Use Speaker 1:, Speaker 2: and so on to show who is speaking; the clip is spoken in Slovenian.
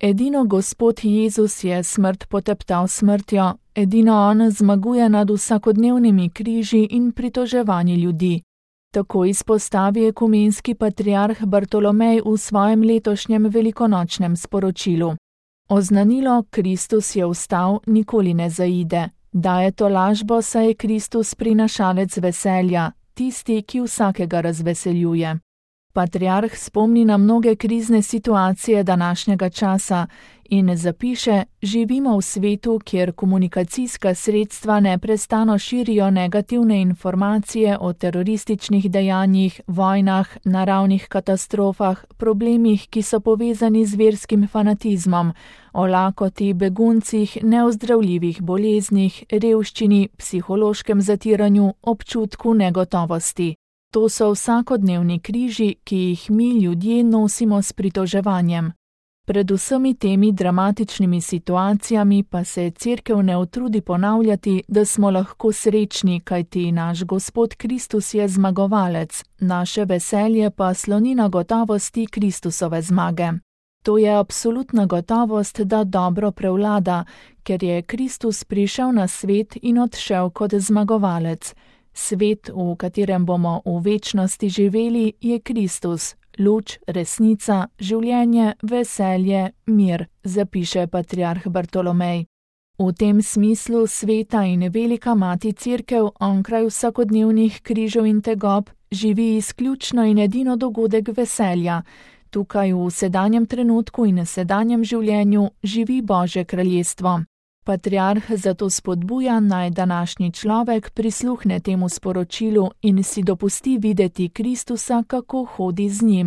Speaker 1: Edino Gospod Jezus je smrt poteptal smrtjo, edino on zmaguje nad vsakodnevnimi križi in pritoževanji ljudi. Tako izpostavi ekumenski patriarh Bartolomej v svojem letošnjem velikonočnem sporočilu. Oznanilo Kristus je vstal nikoli ne zaide. Daje to lažbo, saj je Kristus prinašalec veselja, tisti, ki vsakega razveseljuje. Patriarh spomni na mnoge krizne situacije današnjega časa in zapiše: živimo v svetu, kjer komunikacijska sredstva neprestano širijo negativne informacije o terorističnih dejanjih, vojnah, naravnih katastrofah, problemih, ki so povezani z verskim fanatizmom, o lakoti, beguncih, neozdravljivih boleznih, revščini, psihološkem zatiranju, občutku negotovosti. To so vsakodnevni križi, ki jih mi ljudje nosimo s pritoževanjem. Pred vsemi temi dramatičnimi situacijami pa se Cerkev ne utrudi ponavljati, da smo lahko srečni, kajti naš Gospod Kristus je zmagovalec, naše veselje pa sloni na gotovosti Kristusove zmage. To je absolutna gotovost, da dobro prevlada, ker je Kristus prišel na svet in odšel kot zmagovalec. Svet, v katerem bomo v večnosti živeli, je Kristus, luč, resnica, življenje, veselje, mir, zapiše patriarh Bartolomej. V tem smislu sveta in velika mati Cerkev onkraj vsakodnevnih križev in tegob živi izključno in edino dogodek veselja. Tukaj v sedanjem trenutku in sedanjem življenju živi Božje kraljestvo. Patriarh zato spodbuja, naj današnji človek prisluhne temu sporočilu in si dopusti videti Kristusa, kako hodi z njim,